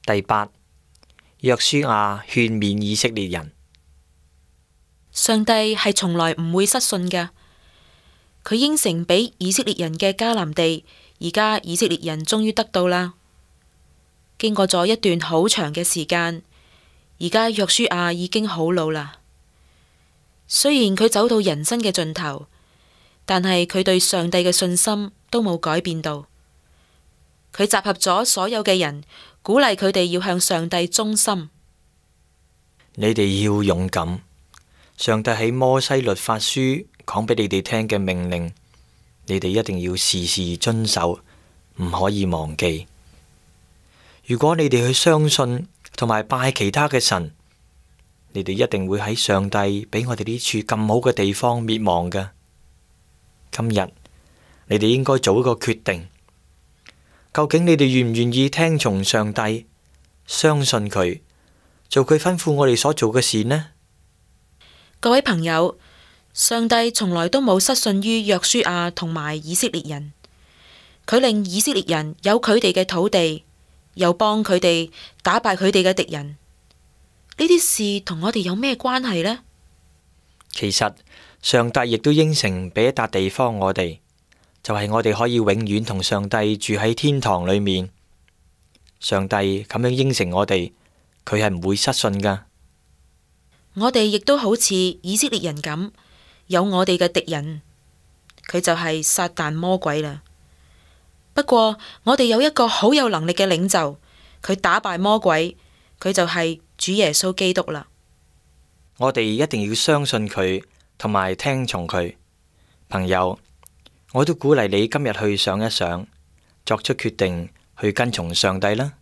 第八，約書亞勸勉以色列人。上帝係從來唔會失信㗎，佢應承俾以色列人嘅迦南地，而家以色列人終於得到啦。經過咗一段好長嘅時間，而家約書亞已經好老啦。雖然佢走到人生嘅盡頭，但係佢對上帝嘅信心都冇改變到。佢集合咗所有嘅人，鼓勵佢哋要向上帝忠心。你哋要勇敢。上帝喺摩西律法書講俾你哋聽嘅命令，你哋一定要時時遵守，唔可以忘記。如果你哋去相信同埋拜其他嘅神，你哋一定會喺上帝俾我哋呢處咁好嘅地方滅亡㗎。今日你哋應該做一個決定，究竟你哋願唔願意聽從上帝，相信佢，做佢吩咐我哋所做嘅事呢？各位朋友，上帝從來都冇失信於約書亞同埋以色列人，佢令以色列人有佢哋嘅土地，又幫佢哋打敗佢哋嘅敵人。呢啲事同我哋有咩關係呢？其實上帝亦都應承俾一笪地方我哋，就係我哋可以永遠同上帝住喺天堂裏面。上帝咁樣應承我哋，佢係唔會失信噶。我哋亦都好似以色列人咁，有我哋嘅敵人，佢就係撒旦魔鬼啦。不過我哋有一個好有能力嘅領袖，佢打敗魔鬼，佢就係主耶穌基督啦。我哋一定要相信佢，同埋聽從佢。朋友，我都鼓勵你今日去想一想，作出決定去跟從上帝啦。